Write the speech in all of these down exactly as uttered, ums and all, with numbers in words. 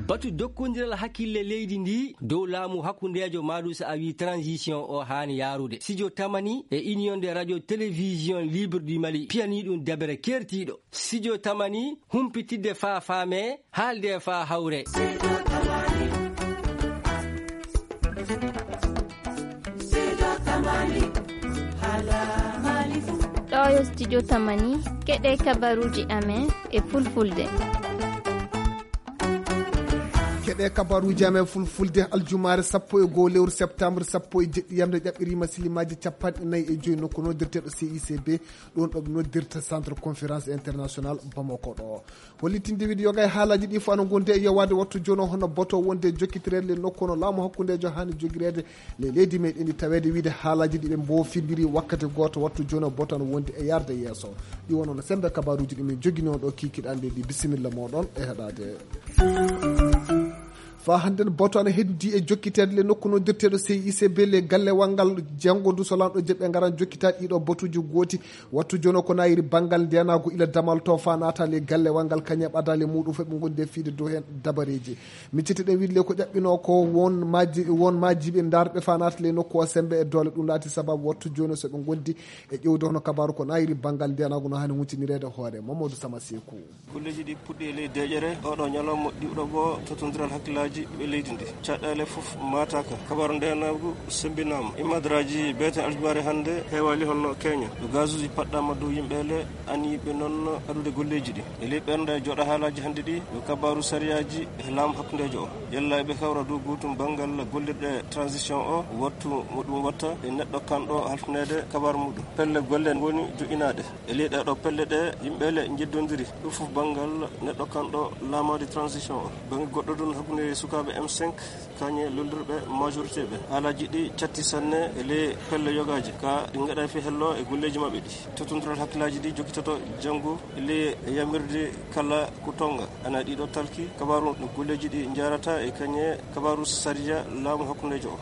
Batu dokkondiral hakkille leydi ndi dow laamu hakkundeejo maɗum so a wi transition o haani yaarude. Sijo Tamani e Union de Radio Télévision Libre du Mali piyanii ɗum dabere keertiiɗo. Sijo Tamani humpitidde faa faame, haalde faa hawre. Ɗo yo Studio Tamani, keɗe kabaruuji amen e fulfulde. Keɗe kabaruuji amen fulfulde, aljumaare sappo e goo lewru septembre sappo e jeɗɗi yamde ƴaɓɓiriima silimaaji capanɗe nayi e joyi nokku noddirteeɗo C I C B, ɗoon ɗo ɓe noddirta Centre Conférence International Bamako ɗo. Hollitinde wiide yoga e haalaaji ɗi fof ana ngondi e yowaade wattu jooni o, hono boto wonde jokkitireede le nokku no laamu hakkundeejo haani jogireede le leydi meɗen ndi, taweede wiide haalaaji ɗi ɓe mbofindiri wakkati gooto wattu jooni o, boto ana wondi e yarde yeeso. Ɗi wonno no semmbe kabaruuji ɗi min joginoo ɗo kikiɗe ɗi. Bisimilla mooɗon e heɗaade. Faa hannden boto ana heddi e jokkiteede le nokku noddirteeɗo C I C B le gallewal ngal janngo ndu so lanɗo jeɓɓe ngaran jokkita ɗiɗo botuuji gooti. Wattu jooni o ko nayiri banngal ndenaagu ila damal to faa naata le gallewal ngal kañe ɓadaale muɗum fof ɓe ngondi e fiide dow heen dabareeji. Miccitiɗen wiide le ko ƴaɓɓinoo ko won maaji, won maajiiɓe ndaarɓe faa naata le nokku o semmbe e doole ɗum laati sababu wattu jooni so ɓe ngondi e ƴewde hono kabaaru ko nayiri banngal ndenaagu no haani huntinireede hoore. Mamadou Sama Seeku. Golleeji ɗi puɗɗi e ley deeƴere oɗo ñalawma ɗiɗo bo totondiral hakkillaaji ɓe leydi ndi. Caɗeele fof maataaka. Kabaaru ndeenaagu semmbinaama. Imadraaji beeten aljumaare hannde heewaali hono keeña. Ɗo gazuuji paɗɗaama dow yimɓe le, aniiɓe noon adude golleeji ɗi. E ley ɓernde jooɗa haalaaji hannde ɗi, yo kabaaru sariyaaji e laamu hakkundeejo o. Yalla eɓe kawra dow gootum banngal gollirɗe transition o, wattu mo ɗum watta e neɗɗo kanɗo halfineede kabaaru muɗum. Pelle golle ngoni joƴƴinaaɗe. E ley ɗee ɗoo pelle ɗe, yimɓe le njeddondiri. Ɗum fof banngal neɗɗo kanɗo laamaade transition o. Bannge goɗɗo ɗum hakkunde sukaaɓe M cinq, kañe lollirɓe majorité ɓe. Haalaaji ɗi catti sanne e ley pelle yogaaji. Ka ɗi ngaɗa fi hello e golleeji maɓɓe ɗi. Totondiral hakkillaaji ɗi jokkitoto janngo e ley yamirde kala ko tonga. Ana ɗiɗo talki kabaaru no golleeji ɗi njaarata e kañe kabaaru sariya laamu hakkundeejo o.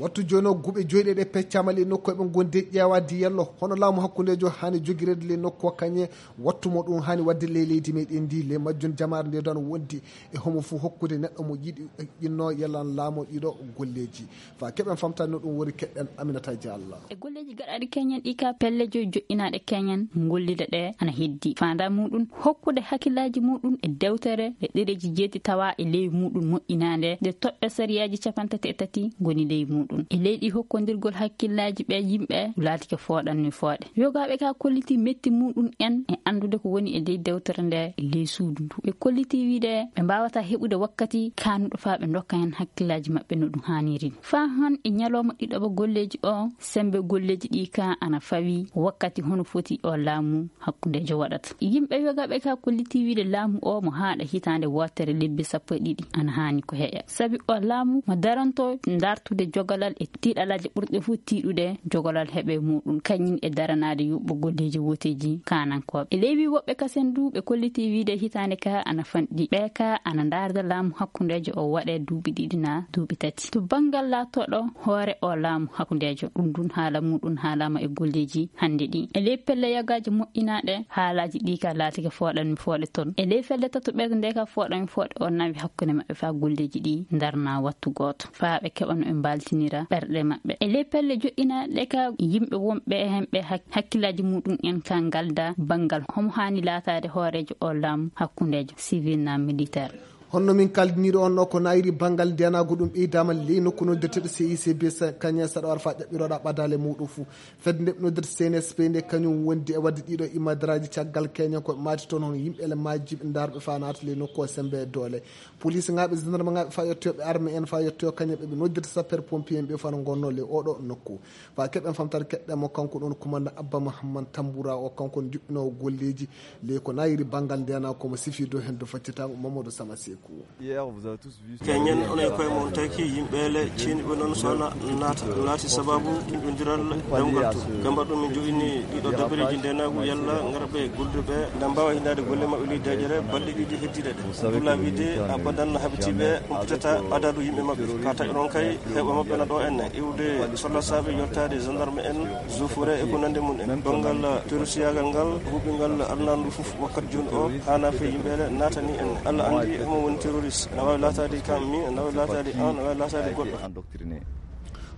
Wattu jooni o, guɓe joyɗe ɗe peccaama ley nokku eɓe ngondi ƴeewaade yallo hono laamu hakkundeejo haani jogireede ley nokku o kañe wattu mo ɗum haani waɗde ley leydi meɗen ndi. Ley majjum jamaare nde ɗon wondi e homo fof hokkude neɗɗo mo yiɗi ƴinno yalla laamu ɗiɗo golleeji. Faa keɓen famtaade no ɗum woni keɗɗen Aminata Diallo. E golleeji gaɗaaɗi keñen ɗi ka pelle joyi joƴƴinaaɗe keñen ngollida ɗe ana heddi. Faandaa muɗum hokkude hakkillaaji muɗum e dewtere e ɗereeji jeeti tawa e ley muɗum moƴƴinaande nde toɓɓe sariyaaji capantati e tati ngoni ley muɗum. E leydi hokkondirgol hakkillaaji ɓe yimɓe laatike fooɗanni fooɗe. Yogaaɓe ka kolliti metti muɗum en e anndude ko woni e ley dewtere nde e ley suudu ndu. Ɓe kolliti wiide ɓe mbaawata heɓude wakkati kaanuɗo faa ɓe ndokka heen hakkillaaji maɓɓe no ɗum haaniri. Faa han e ñalawma ɗiɗaɓa golleeji o, semmbe golleeji ɗi ka ana fawi wakkati hono foti o laamu hakkundeejo waɗata. Yimɓe yogaaɓe ka kolliti wiide laamu o mo haaɗa hitaande wootere lebbi sappo e ɗiɗi ana haani ko heƴa. Sabi o laamu mo daranto ndartude jogalal e tiiɗalaaji ɓurɗe fof tiiɗude jogalal heɓe muɗum kañum e daranaade yuɓɓo golleeji wooteeji kaanankooɓe. E ley wi woɓɓe kasen du ɓe kolliti wiide hitaande ka ana fanɗi. Ɓe ka ana ndaarda laamu hakkundeejo o waɗe duuɓi ɗiɗi na duuɓi tati. To banngal laatooɗo hoore o laamu hakkundeejo, ɗum ɗum haala muɗum haalaama e golleeji hannde ɗi. E ley pelle yogaaji moƴƴinaaɗe, haalaaji ɗi ka laatike fooɗanmi fooɗe toon. E ley felle tatoɓerde nde ka fooɗanmi fooɗe o nawi hakkunde maɓɓe faa golleeji ɗi ndarna wattu gooto. Faa ɓe keɓa no ɓe mbaaltinira ɓerɗe maɓɓe. E ley pelle joƴƴinaaɗe ka yimɓe wonɓe heen ɓe hak-, hakkillaaji muɗum en ka ngalda banngal homo haani laataade hooreejo o laamu hakkundeejo civil na militaire. Honno min kaldiniri on no ko nayiri banngal ndenaagu ɗum ɓeydaama ley nokku noddirteeɗo C I C B sa-, kañe saɗa war faa ƴaɓɓirooɗa ɓadaale muɗum fuu. Fedde nde noddirta C N S P nde kañum wondi e waɗde ɗiɗo imadraaji caggal keñen ko maati toon hono yimɓe ele majjiɓe ndarɓe faa naata ley nokku o semmbe e doole. Police ŋaaɓe, gendarme ŋaaɓe faa yettoyooɓe armée en faa yettoyoo kañe ɓe ɓe noddirta sapeur pompier en ɓe faa no ngonnoo ley oɗo nokku. Faa keɓen famtaade keɗɗen mo kanko ɗoon commandant Abba Mahamman Tambura o kanko on juɓɓinoowo golleeji ley ko nayiri banngal ndenaagu ko mo sifi dow heen dow faccitaango Mamadou Sama Seeku. Hier, vous avez tous vu. Keñen onon e koye mon taki yimɓe le ceeniiɓe noon so na-, naata, naati sababu ɗinɗondiral dawgal to. Gamba ɗum min joini ɗiɗo dabareeji ndenaagu yalla ngarɓe golluɓe na mbaawa hinnaade golle maɓɓe ley deeƴere balɗe ɗiɗi heddiiɗe ɗe. Dulla wiide abadan habitiiɓe humpitata adadu yimɓe maɓɓe. Ka tawi ɗon kay heɓa maɓɓe na ɗo en iwde sollasaaɓe yottaade gendarme en, zofure e ko nande mum en. Banngal terroristiyaagal ngal, huɓingal arnaandu fof wakkati jooni o, haana fe yimɓe le naatani en. Allah anndi homo Terroriste, ene waawi laataade kam min, ene waawi laataade an, ene waawi laataade goɗɗo.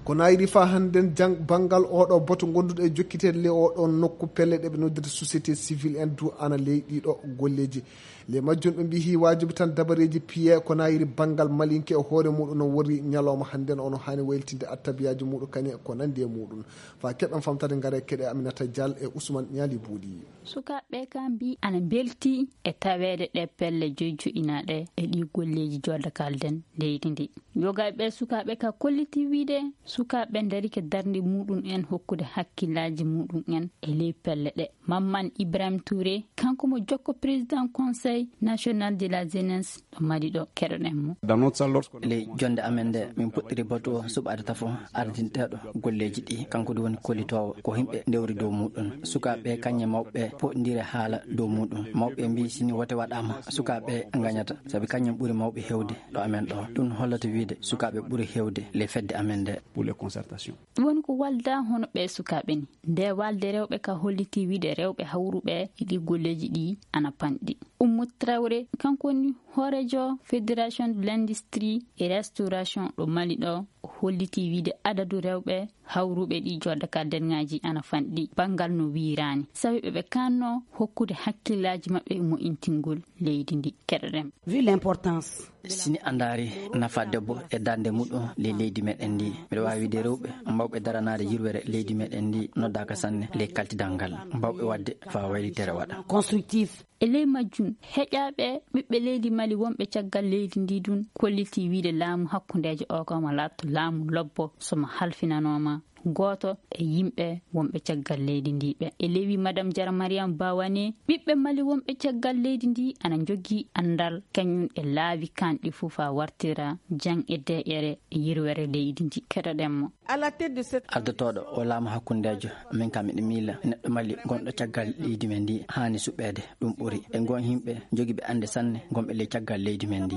Ko naayiri faa hannden jang-, banngal oɗo boto gonduɗo e jokkiteede le oɗo nokku, pelle ɗe ɓe noddirta société civile en du ana ley ɗiɗo golleeji. Le majjum ɓe mbiyi waajibi tan dabareeji piye ko naayiri banngal malinke e hoore muɗum no wori ñalawma hannden ono haani waylitinde attabiyaaji muɗum kañe ko nandi e muɗum. Faa keɓen famtade ngare keɗe Aminata Dial e Ousmane Ñaali Buuɗi. Sukaaɓe ka mbii ana mbelti e taweede ɗe pelle joyi joɗɗinaaɗe e ɗi golleeji jooɗda kalden leydi ndi. Yogaaɓe sukaaɓe ka kolliti wiide sukaaɓe ndarike darnde muɗum en hokkude hakkillaaji muɗum en e ley pelle ɗe. Mamman Ibrahim Touré, kanko mo jokko président Conseil National de la Jeunesse ɗo Mali ɗo, keɗoɗen mo. Ley jonde amen nde, min puɗɗiri batu o suɓaade tafo ardinteeɗo golleeji ɗi, kanko ɗum woni kollitoowo, ko yimɓe ndewri dow muɗum. Sukaaɓe kañum e mawɓe poɗndire haala dow muɗum. Mawɓe mbii sini wote waɗaama, sukaaɓe ngañata, sabi kañum ɓuri mawɓe heewde ɗo amen ɗo. Ɗum hollata wiide sukaaɓe ɓuri heewde ley fedde amen nde. Pour les concertations. Ɗum woni ko walda hono ɓe sukaaɓe ni. Nde walde rewɓe ka holliti wiide rewɓe hawruɓe e ɗi golleeji ɗi ana panɗi. Ummu Traoré, kanko woni hooreejo Fédération de l'Industrie et Restauration ɗo Mali ɗo, o holliti wiide adadu rewɓe hawruɓe ɗi jooɗda ka denŋaaji ana fanɗi banngal no wiiraani. Sabi ɓe ɓe kanno hokkude hakkillaaji maɓɓe e mo'intingol leydi ndi. Keɗoɗen. Vu l'importance. Sini a ndaari nafa debbo e darnde muɗum ley leydi meɗen ndi, mbiɗa waawi wiide rewɓe mbawɓe daranaade yirwere leydi meɗen ndi noddaaka sanne ley kaltidal ngal, mbawɓe waɗde faa waylitere waɗa. Constructif. E ley majjum, heƴaaɓe ɓiɓɓe leydi Mali wonɓe caggal leydi ndi ɗum kolliti wiide laamu hakkundeejo o ko mo laatto laamu lobbo so mo halfinanooma gooto e yimɓe wonɓe caggal leydi ndi ɓe. E ley wi Madame Jara Mariam Bawane, ɓiɓɓe Mali wonɓe caggal leydi ndi ana njogii anndal kañum e laabi kanɗi fof faa wartira jang e deƴƴere e yirwere leydi ndi. Keɗoɗen mo. Ardotooɗo o laamu hakkundeejo, min kam miɗo miila neɗɗo Mali gonɗo caggal leydi men ndi haani suɓeede. Ɗum ɓuri e ngon yimɓe jogiiɓe annde sanne gonɓe ley caggal leydi men ndi.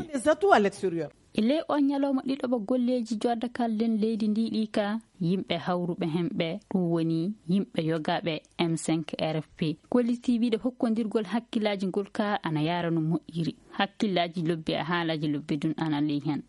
E ley o ñalawma ɗiɗaɓa golleeji jooɗda kalden leydi ndi ɗi ka, yimɓe hawruɓe heen ɓe, ɗum woni yimɓe yogaaɓe M cinq R F P, kolliti wiide hokkondirgol hakkillaaji ngol ka ana yaara no moƴƴiri. Hakkillaaji lobbi e haalaaji lobbi ɗum ana ley heen.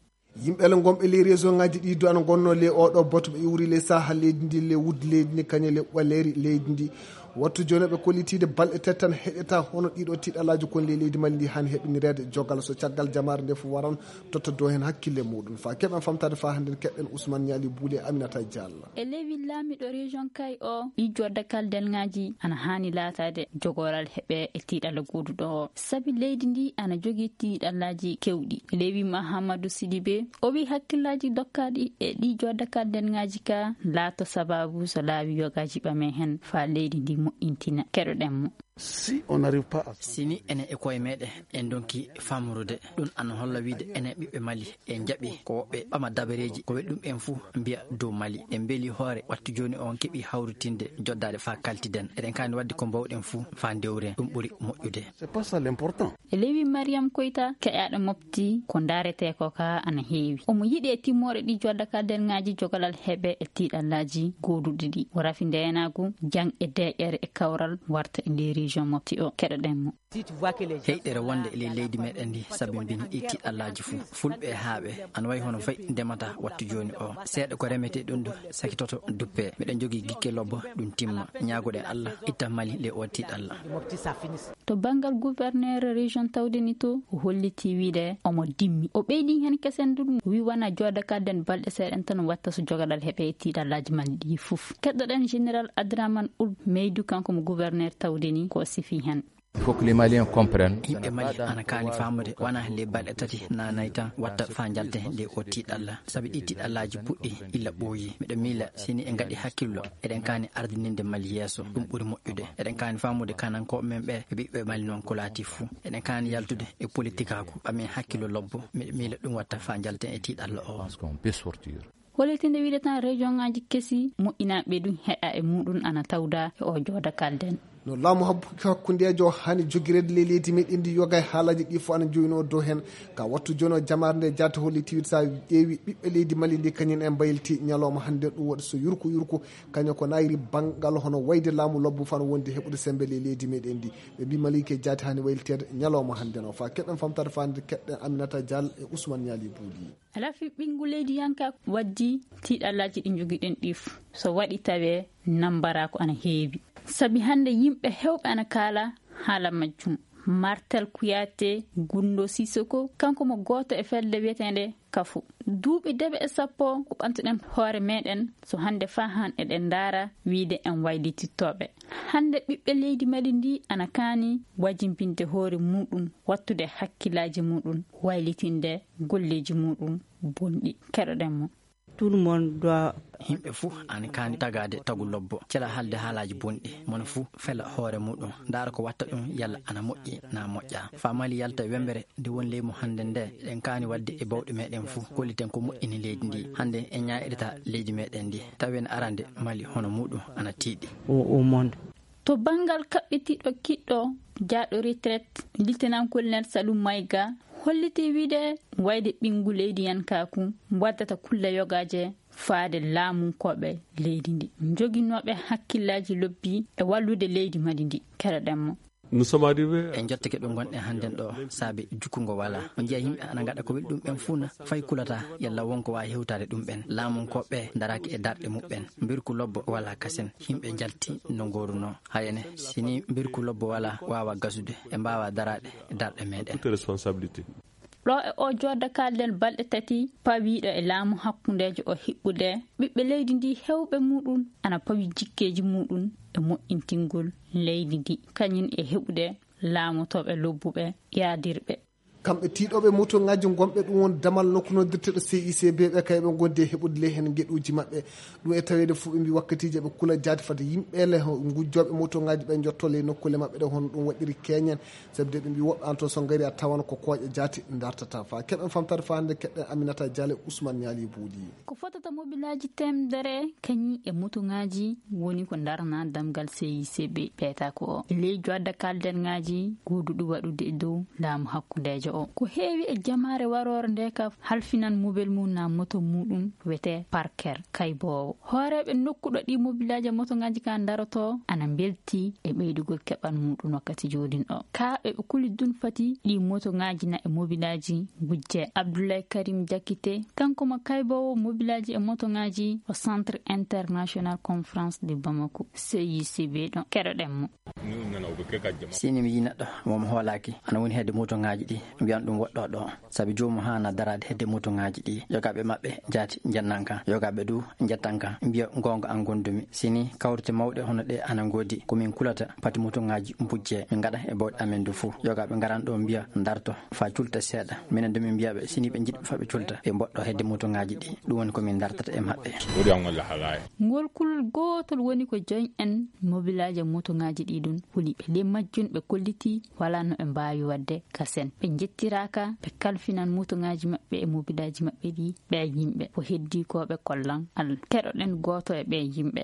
Yimɓe le gonɓe ley région ŋaaji ɗi du ana ngonnoo ley oɗo bato ɓe iwri ley saha leydi ndi, ley wuddi leydi ndi, kañum ley ɓaleeri leydi ndi. Wattu jooni ɓe kollitiide balɗe tati tan heɗeta hono ɗiɗo tiɗalaaji kon ley leydi Mali ndi haani heɓinireede jogal so caggal jamaare nde fof waran totta dow heen hakkille muɗum. Faa keɓen famtaade faa hannden keɓen Ousmane Ñaali Buule e Aminata Diallo. E ley wi laamiɗo région Kay o, ɗi jodda kalden ŋaaji ana haani laataade jogoral heɓe e tiɗalla gooduɗo o. Sabi leydi ndi ana jogii tiɗallaaji kewɗi. E ley wi Mahamadou Sidibé, o wi hakkillaaji dokkaaɗi e ɗi jodda kalden ŋaaji ka laato sababu so laawi yogaaji ɓame heen faa leydi ndi moƴƴintina. Keɗoɗen mo. Si on n'arrive pas à Sini enen e koye meɗen en donki famrude, ɗum ana holla wiide enen ɓiɓɓe Mali en jaɓi ko woɓɓe ɓama dabareeji ko waɗi ɗum en fuu mbiya dow Mali. En mbeli hoore wattu jooni on keɓi hawritinde joddaade faa kaltiden. Eɗen kaani waɗde ko mbawɗen fuu faa ndewren. Ɗum ɓuri moƴƴude. C'est pas ça l'important. E ley wi Mariam Koyta, keƴaaɗo mofti ko ndaaretee ko ka ana heewi. Omo yiɗi e timmoore ɗi jodda ka nder ŋaaji jogalal heɓe e tiɗallaaji gooduɗi ɗi. O rafi ndeenaagu, jang e deƴƴere e kawral warta e nder région mofti o. Keɗoɗen mo. Heyɗere wonde e ley leydi meɗen ndi sabi mbini ɗi tiɗallaaji fuu. Fulɓe e haaɓe ana wayi hono fayi ndemata wattu jooni o. Seeɗa ko remetee ɗum du sakitoto duppe. Miɗen jogii gikke lobbo ɗum timma. Ñaagoɗen Allah itta Mali ley o tiɗalla. To banngal gouverneur région tawde ni to, o holliti wiide omo dimmi. O ɓeydi heen kesen du ɗum, o wi wona jooda kadden balɗe seeɗen tan watta so jogaɗal heɓe e tiɗallaaji Mali ɗi fof. Keɗoɗen général Adraman Ul Meydu, kanko mo gouverneur tawde ni ko o sifi heen. Il faut que les Maliens comprennent. Yimɓe Mali ana kaani faamude wona le balɗe tati na nayi tan watta faa njalten le o tiɗalla. Sabi ɗi tiɗallaaji puɗɗi illa ɓooyi. Miɗo miila sini en ngaɗi hakkillo, eɗen kaani ardininde Mali yeeso. Ɗum ɓuri moƴƴude. Eɗen kaani faamude kanankooɓe men ɓe e ɓiɓɓe Mali noon ko laati fuu. Eɗen kaani yaltude e politikaaku, ɓamen hakkillo lobbo. Miɗo miila ɗum watta faa njalten e tiɗalla o. Je pense qu'on peut sortir. Hollitinde wiide tan région ŋaaji kesi moƴƴinaaɓe ɗum heɗa e muɗum ana tawda e o jooda kalden. No laamu habbu-, hakkundeejo hani jogireede ley leydi meɗen ndi, yoga e haalaaji ɗi fof ana joyno dow heen. Ka wattu jono jamaare nde jaati holli tiwit sa ƴeewi ɓiɓɓe leydi Mali ndi, kañum en mbayliti ñalawma hannde ɗum waɗi so yurku yurku. Kañum ko nayri banngal hono wayde laamu lobbo fano wonde heɓude sembe ley leydi meɗen ndi. Ɓe mbi Mali ke jaati hani wayliteede ñalawma hannde no. Fa keɓen famtade fa hannde keɓɗen Aminata Dial e Ousmane Ñaali Buuli. Lafi ɓinngu leydi yanka waddi tiiɗallaaji ɗi njogiɗen ɗi fof. So waɗi tawee nambara ko ana heewi. Sabi hannde yimɓe heewɓe ana kaala haala majjum. Martel Kouyaté, Gundo Sissoko, kanko mo gooto e fedde wiyeteende Kafo. Duuɓi debe e sappo ko ɓantuɗen hoore meɗen, so hannde faa han eɗen ndaara wiide en waylitittooɓe. Hannde ɓiɓɓe leydi Mali ndi ana kaani wajimbinde hoore muɗum, wattude hakkillaaji muɗum, waylitinde golleeji muɗum bonɗi. Keɗoɗen mo. Tout le monde doit. Yimɓe fuu ana kaani tagaade tagu lobbo, cela haalde haalaaji bonɗi. Mono fuu fela hoore muɗum, ndaara ko watta ɗum, yalla ana moƴƴi na moƴƴa. Fa Mali yalta wembere nde woni ley mum hannde nde, eɗen kaani waɗde e bawɗe meɗen fuu, kolliten ko moƴƴini leydi ndi. Hannde en ñaaƴirta leydi meɗen ndi, tawi en arande Mali hono muɗum ana tiiɗi. Au, au monde. To banngal kaɓɓitiiɗo kiɗɗo jaaɗo retraite, Lieutenant-colonel Salum Maïga holliti wiide wayde ɓinngu leydi yankaaku waddata kulle yogaaje faade laamunkooɓe leydi ndi, njoginooɓe hakkillaaji lobbi e wallude leydi Mali ndi. Keɗoɗen mo. Nous sommes arrivés. En jottike ɗo ngonɗen hannden ɗo, saabi jukkungo walaa. On njiya yimɓe ana ngaɗa ko weli ɗum ɓen fuu na, fay kulata yalla won ko waawi hewtaade ɗum ɓen. Laamunkooɓe daraaki e darɗe muɓɓen. Mbirku lobbo walaa kasen. Yimɓe njalti no ngoorunoo. Hayane, si ni mbirku lobbo walaa, waawa gasude. E mbaawa daraade e darɗe meɗen. Toute responsabilité. Ɗo e o jodda kalden balɗe tati pawiiɗo e laamu hakkundeejo o hiɓɓude, ɓiɓɓe leydi ndi hewɓe muɗum ana pawi jikkeeji muɗum e moƴƴintingol leydi ndi, kañum e heɓude laamotooɓe lobbuɓe yaadirɓe. Kamɓe tiiɗooɓe motoŋaaji gonɓe ɗum won damal nokku noddirteɗo C I C B ɓe, kayɓe ngondi e heɓude ley heen ngeɗuuji maɓɓe. Ɗum e taweede fof ɓe mbi wakkatiiji eɓe kula jaati fade yimɓe le ngujjooɓe motoŋaaji ɓe njotto ley nokkuule maɓɓe ɗe, hono ɗum waɗiri keñen. Sabu de ɓe mbi woɓɓe an to so ngari a tawan ko kooƴe jaati dartata. Fa keɓen famtade fa hannde keɗɗen Aminata Diallo, Ousmane Niali Bouli. Ko fotata mobilaaji teemedere kañi e motoŋaaji woni ko darna damgal C I C B peeta ko o. E ley jodda kalden ŋaaji guuduɗi waɗude e dow laamu hakkundeejo o. Ko heewi e jamaare waroore nde ka halfinan mobel mum na moto muɗum wete parker kayboowo. Hooreeɓe nokkuɗo ɗi mobilaaji e motoŋaaji ka daroto ana mbelti e ɓeydugol keɓal muɗum wakkati joodin o. Ka ɓe ɓe kuli dun fati ɗi motoŋaaji na e mobilaaji gujje. Abdoulaye Karim Diakité, kanko mo kayboowo mobilaaji e motoŋaaji o Centre International Conférence de Bamako, C I C B ɗon. Keɗoɗen mo. Sini mi yi neɗɗo mo mi hoolaaki, ana woni hedde motoŋaaji ɗi, mbiyan ɗum woɗɗo ɗo. Sabi joomum haana daraade hedde motoŋaaji ɗi. Yogaaɓe maɓɓe jaati njannan kan. Yogaaɓe du njettan kan. Mbiya goonga an gondumi. Sini kawrite mawɗe hono ɗe ana ngoodi. Ko min kulata pati motoŋaaji bujje. Min ngaɗa e bawɗe amen du fuu. Yogaaɓe ngaran ɗo mbiya darto fa culta seeɗa. Minen du min mbiya ɓe sini ɓe njiɗɓe fa ɓe culta. Ɓe mboɗɗo hedde motoŋaaji ɗi. Ɗum woni ko min dartata e maɓɓe. Ngol kulol gootol woni ko joñ en mobilaaji e motoŋaaji ɗi ɗum huli. Ɓe ɗe majjun ɓe kolliti wala no ɓe mbaawi waɗde kasen. Ɓe njettiraaka, ɓe kalfinan motoŋaaji maɓɓe e mobilaaji maɓɓe ɗi ɓe yimɓe. Ko heddii ko ɓe kollan Allah. Keɗoɗen gooto e ɓe yimɓe.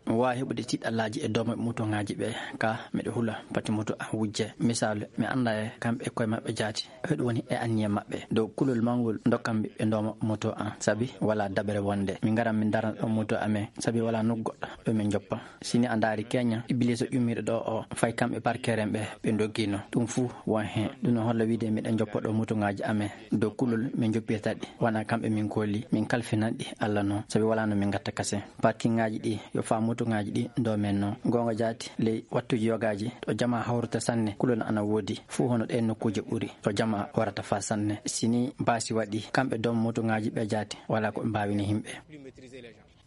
Mi waawi heɓude tiiɗallaaji e dooma motoŋaaji ɓe, ka miɗo hula pati moto an wujje. Misaalu, mi annda e kamɓe e koye maɓɓe jaati. Heɗu woni e anniya maɓɓe. Dow kulol mawngol ndokkan ɓe ndooma moto an. Sabi wala dabere wonde. Min ngaran min darna ɗo moto amen. Sabi wala nokku goɗɗo ɗo min njoppa. Sini a ndaari keña, Ibiliisa ƴummiiɗo ɗo o, fay kamɓe parkeren ɓe, ɓe ndoggino. Ɗum fuu won heen. Ɗum no holla wiide miɗen njoppa ɗo motoŋaaji amen. Dow kulol min njoppirta ɗi. Wona kamɓe min kooli, min kalfinan ɗi Allah noon. Sabi wala no min ngatta kasen. Parkiŋaaji ɗi, yo faa motoŋaaji ɗi ndoomen noon. Goonga jaati, ley wattuuji yogaaji, ɗo jamaa hawrata sanne, kulol ana woodi. Fuu hono ɗeen nokkuuje ɓuri, ɗo jamaa warata faa sanne. Sini baasi waɗi, kamɓe dooma motoŋaaji ɓe jaati, wala ko ɓe mbaawini yimɓe.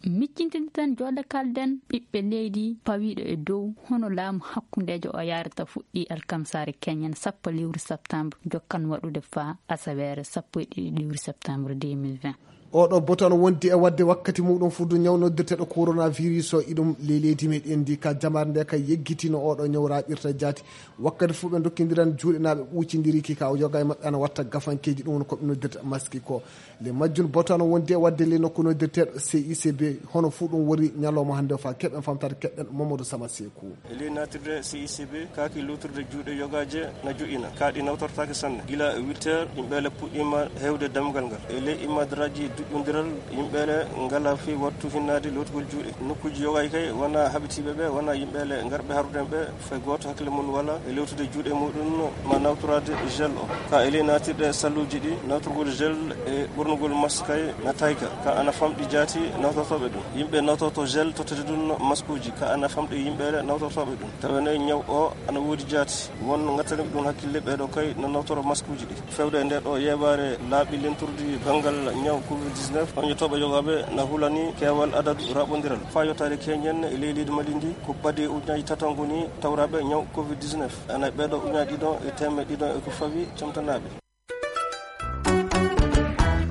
Miccintinde tan jooɗa kalden ɓiɓɓe leydi pawiiɗo e dow hono laamu hakkundeejo o yaarata fuɗɗi alkamsaare keñen sappo lewru septembre, jokkan waɗude faa asaweere sappo e ɗiɗi lewru septembre deux mille vingt. Oɗo boto no wondi e wadde wakkati muɗum fuddu ñaw noddirteɗo coronavirus o iɗum ley leydi meɗen ndi ka jamar nde ka yeggitino oɗo ñaw raɓirta jaati. Wakkati fuu ɓe dokkindiran juuɗe na ɓe ɓuucindiri ki ka o yoga e maɓɓe ana watta gafankeji ɗum woni ko ɓe noddirta maski ko. Le majjun boto no wondi e wadde le nokku noddirteɗo C I C B hono fuu ɗum wori ñalawma hannde o fa keɓen famtare keɓen Mamadou Sama Seku. E ley naatirde C I C B, kaaki luutirde juuɗe yogaaje na joƴƴina. Kaa ɗi nawtortaake sanne. Gila huit heures, yimɓe le puɗɗiima heewde dammugal ngal. E ley immaadaraaji duƴƴondiral, yimɓe le ngalaa fii wattu hinnaade lootugol juuɗe. Nokkuuji yogaaji kay wonaa haɓitiiɓe ɓe, wonaa yimɓe le ngarɓe haruden ɓe, fay gooto hakkille mum walaa e lootde juuɗe muɗum, ma nawtoraade gel o. Ka e ley naatirɗe salluuji ɗi, nawtorgol gel e ɓornugol mask kay na tayka. Ka ana famɗi jaati nawtortooɓe ɗum. Yimɓe nawtorto gel tottete ɗum maskuuji. Ka ana famɗi yimɓe nawtortooɓe ɗum. Tawa ne ñaw o ana woodi jaati. Won ngattaniiɓe ɗum hakkille ɓee ɗoo kay no nawtoro maskuuji ɗi. Fewde e ndee ɗoo yeebaare laaɓi lenturdi banngal ñaw covid dix-neuf, oñotooɓe yogaaɓe na hulani keewal adadu raɓondiral. Faa yottaade keñen e ley leydi Mali ndi, ko ɓadii ujunnaaji tati ngoni tawraaɓe ñaw covid dix-neuf. Ana e ɓee ɗoo ujunnaaji ɗiɗo e teemeɗɗe ɗiɗo e ko fawi camtanaaɓe.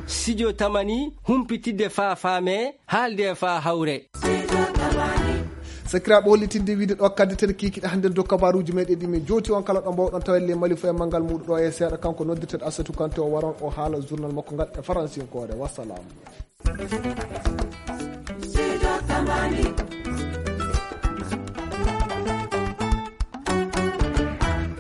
Studio Tamani, humpitidde faa faame, haalde faa hawre. Sakiraaɓe, hollitinde wiide ɗo kaddeten kiikiɗe hannde dow kabaaruuji meɗen ɗi min jooti on kala ɗo mbawɗon tawelle Mali fof e manngal muuɗum ɗo e seeɗa. Kanko noddirteɗo Assatou Kanté o waron o haala journal makko ngal e faransinkoore. Wassalam.